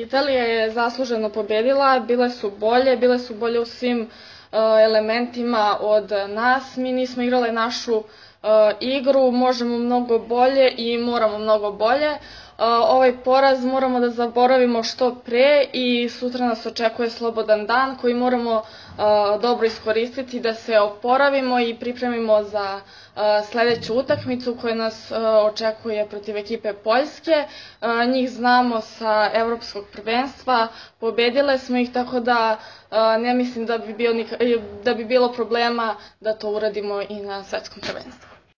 Italija je zasluženo pobedila, bile su bolje u svim elementima od nas. Mi nismo igrali našu igru, možemo mnogo bolje i moramo mnogo bolje. Ovaj poraz moramo da zaboravimo što pre i sutra nas očekuje slobodan dan koji moramo dobro iskoristiti da se oporavimo i pripremimo za sledeću utakmicu koja nas očekuje protiv ekipe Poljske. Njih znamo sa evropskog prvenstva, pobedile smo ih, tako da ne mislim da bi bilo problema da to uradimo i na svetskom prvenstvu.